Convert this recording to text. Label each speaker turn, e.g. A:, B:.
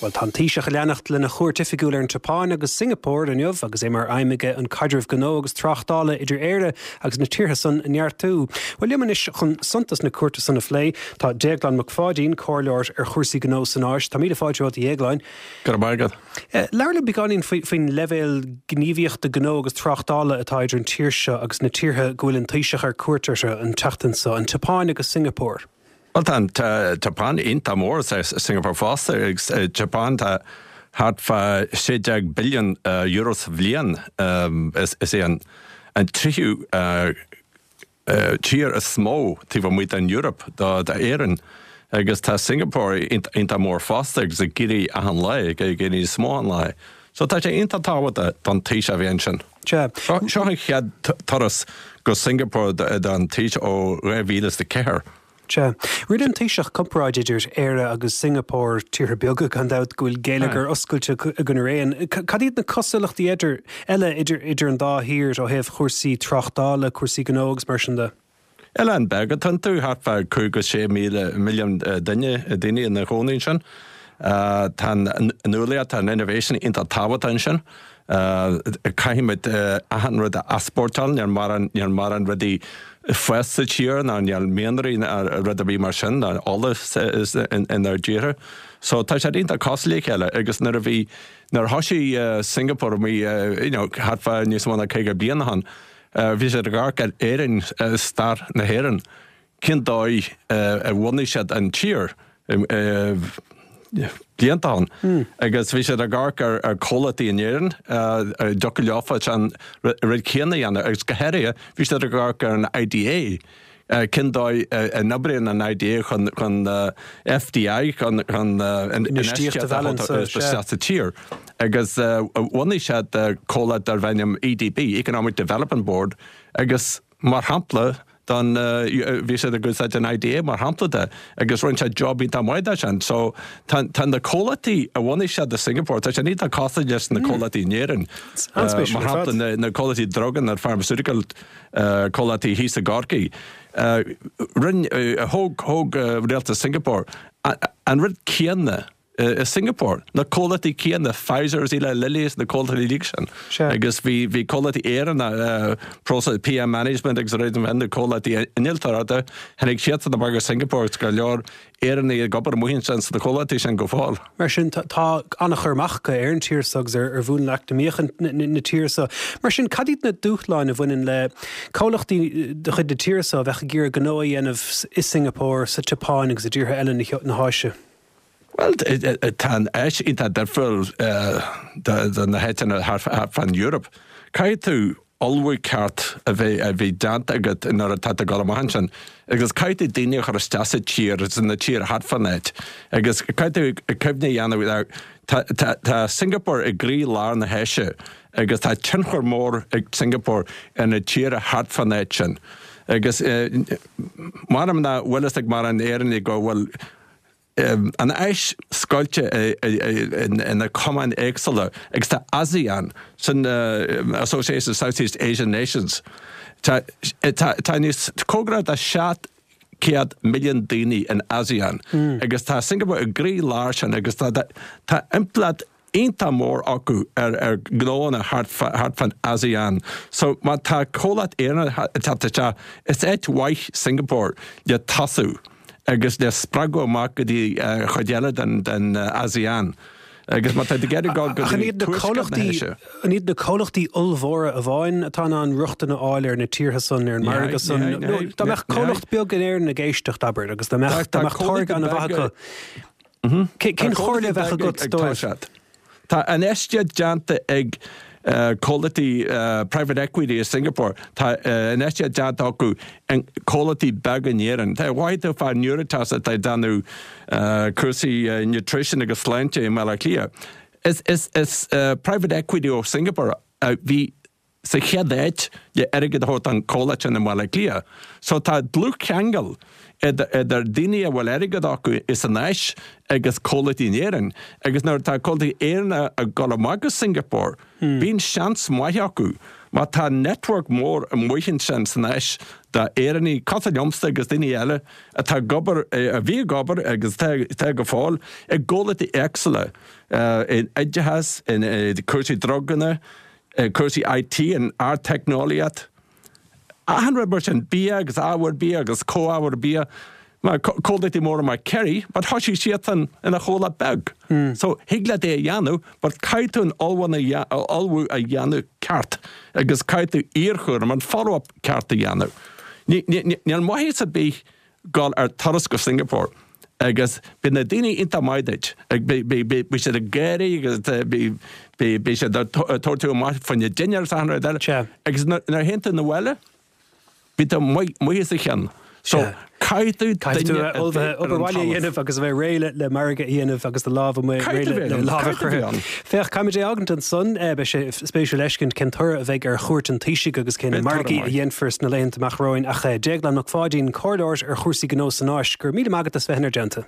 A: Bhuel, tá an Taoiseach ag leanacht lena chuairt oifigiúil ar an tSeapáin agus Singapore inniu agus é mar aidhm aige an caidreamh gnó agus tráchtála idir Éire agus na tíortha san a neartú. Bhuel, liom anois chun suntas na cuairte san a phlé, tá Déaglán Mac Pháidín, comhairleoir ar chúrsaí gnó san Áis. Tá míle fáilte romhat, a Dhéagláin.
B: Go raibh maith agat.
A: Labhair liom beagáinín faoin leibhéal gníomhaíochta gnó agus tráchtála atá idir an tír seo agus na tíortha go bhfuil an Taoiseach ar cuairt orthu an tseachtain seo, an tSeapáin agus Singapore.
B: Bhuel, tá an tSeapáin iontach mór, is Singapore fosta, agus Japan tá thart fá €16 billiún sa bhliain. Is é an tríú tír is mó taobh amuigh den Eoraip d'Éirinn. Agus tá Singapore iontach mór fosta agus ag éirí achan lá, ag éirí níos mó achan lá. So tá sé iontach tábhachtach don Taoiseach a bheith ansin. Seo an chéad turas go Singapore don Taoiseach ó 2004.
A: Sea. Rinne an Taoiseach comparáid idir Éire agus Singapore, tíortha beaga gan dabht, go bhfuil geilleagar oscailte againn araon. Cad iad na cosúlachtaí eile idir an dá thír ó thaobh chúrsaí tráchtála, cúrsaí gnó agus mar sin de?
B: Oileán beag atá iontu, thart fá 5 go 6 milliún duine, daoine ina gcónaí ansin. Tá an nuálaíocht, tá an innovation iontach tábhachtach ansin. Caithfimid achan rud a easpórtáil, níl mórán, níl mórán rudaí ag fás sa tír ná níl mianraí ná rud ar bith mar sin, ná ola inár dtíortha. So tá siad iontach cosúil le chéile agus nuair a bhí, nuair a thosaigh Singapore amuigh, you know, thart fá níos mó ná 50 bliain ó shin, Bhí siad ag amharc ar Éirinn, stair na hÉireann, cén dóigh a bhunaigh siad an tír blianta ó shin agus bhí siad ag amharc ar comhlachtaí in Éirinn a dtiocfadh leofa an rud céanna a dhéanamh agus go háirithe bhí siad ag amharc ar an IDA Cén dóigh a n-oibríonn an IDA chun FDI, chun infheistíocht a thabhairt isteach sa tír? Agus bhunaigh siad comhlacht darb ainm EDB, Economic Development Board, agus mar shampla don, bhí siad ag úsáid an IDA mar shampla de, agus rinne siad job iontach maith de sin. So tá na comhlachtaí a bhunaigh siad i Singapore, tá siad iontach cosúil leis na comhlachtaí in Éirinn. Mar shampla na comhlachtaí druga, na pharmaceutical comhlachtaí thíos i gCorcaigh. Rinne, thóg, thóg rialtas Singapore an rud céanna i Singapore, na comhlachtaí céanna, Pfizer is Eli Lilly is na comhlachtaí uilig sin. Agus bhí, bhí comhlachtaí Éireannacha, Process, PM Management agus a na comhlachtaí innealtóireachta, tháinig siadsan amach go Singapore agus go leor Éireannaigh ag obair amuigh ansin sna comhlachtaí sin go fóill.
A: Mar sin, tá an-chur amach acu ar an tír seo agus ar mhúnla eacnamaíoch na tíre seo. Mar sin, cad iad na dúshláin a bhaineann le comhlachtaí de chuid na tíre seo a bheadh ag iarraidh gnó a dhéanamh i Singapore, sa tSeapáin agus i dtíortha eile na hÁise?
B: Bhuel, tá an Áis iontach difriúil do na háiteanna thart fán Eoraip. Caithfidh tú ullmhú ceart a bheith a bheith déanta agat nuair atá tú ag dul amach ansin agus caithfidh tú daoine a chur isteach sa tír, na tír thart fán áit agus caithfidh tú cuimhne a dhéanamh tá tá tá Singapore i gcroí lár na hÁise agus tá tionchar mór ag Singapore ar na tíortha thart fán áit sin agus m'anam nach bhfuil fhios ag mórán Éireannaigh go bhfuil an Áis scoilte ina cumainn éagsúla agus tá ASEAN, sin Association of Southeast Asian Nations, tá níos cóngarach do 700 milliún daoine in ASEAN agus tá Singapore i gcroí lár sin agus tá impleacht iontach mór acu ar ar gnóanna thart fán ASEAN. So má tá comhlacht Éireannach ag teacht isteach, is áit mhaith Singapore le tosú agus le spreagadh amach go dtí chuid eile den den ASEAN. Agus má tá tú ag iarraidh dul go dtí tuaisceart na hÁise.
A: An iad na comhlachtaí ollmhóra amháin atá in ann rochtain a fháil ar na tíortha san, ar an margadh san? Nó dá mbeadh comhlacht beag in Éirinn ag éisteacht, abair, agus dá mbeadh táirge an-mhaith acu, Cén chomhairle a bheadh agat dóibh?
B: Tá infheistíocht déanta ag comhlachtaí private equity i Singapore, tá infheistíocht déanta acu i comhlachtaí beaga in Éirinn. Tá mhaith tú fá Nuritas atá ag déanamh cúrsaí nutrition agus sláinte i mBaile Átha Cliath. Is private equity ó Singapore a bhí sa chéad áit le airgead a thabhairt don chomhlacht sin i mBaile Átha Cliath. So tá dlúthcheangal idir daoine a bhfuil airgead acu san Áis agus comhlachtaí in Éirinn agus nuair atá comhlachtaí Éireannacha ag dul amach go Singapore bíonn seans maith acu. Má tá network mór amuigh ansin san Áis d'Éireannaigh cosúil liomsa agus daoine eile atá ag obair, a bhí ag obair agus atá go fóill i gcomhlachtaí éagsúla, in oideachas, in cúrsaí druganna, cúrsaí IT, in ardteicneolaíocht, achan rud mar sin, bia agus ábhair bia agus comhábhair bia, mar comhlachtaí móra mar Kerry, but thosaigh siadsan ina chomhlacht beag. So thig leat é a dhéanamh, but caithfidh tú an ullmhú a dhéanamh ceart agus caithfidh tú iarchúram, an follow-up ceart a dhéanamh. Níl maitheas ar bith dul ar turas go Singapore agus beidh na daoine iontach maith duit, beidh siad ag gáirí agus beidh siad ag tabhairt tú amach fá choinne dinnéar is achan rud eile agus nuair a théann tú 'na bhaile, beidh tú amuigh as a chionn. So caithfidh tú
A: duine a bheith ar an talamh. Obair bhaile a dhéanamh agus a bheith réidh le margadh a dhéanamh agus do lámh amuigh réidh le lámh a chroitheadh. Féach, caithfimid é a fhágaint ansan. Beidh sé spéisiúil fheiscint cén toradh a bheidh ar chuairt an Taoisigh agus cé na margaí a dhéanfar sna laethanta amach romhainn. Ach Déaglán Mac Pháidín, comhairleoir ar chúrsaí gnó san Áis, go raibh míle maith agat as bheith inár dteannta.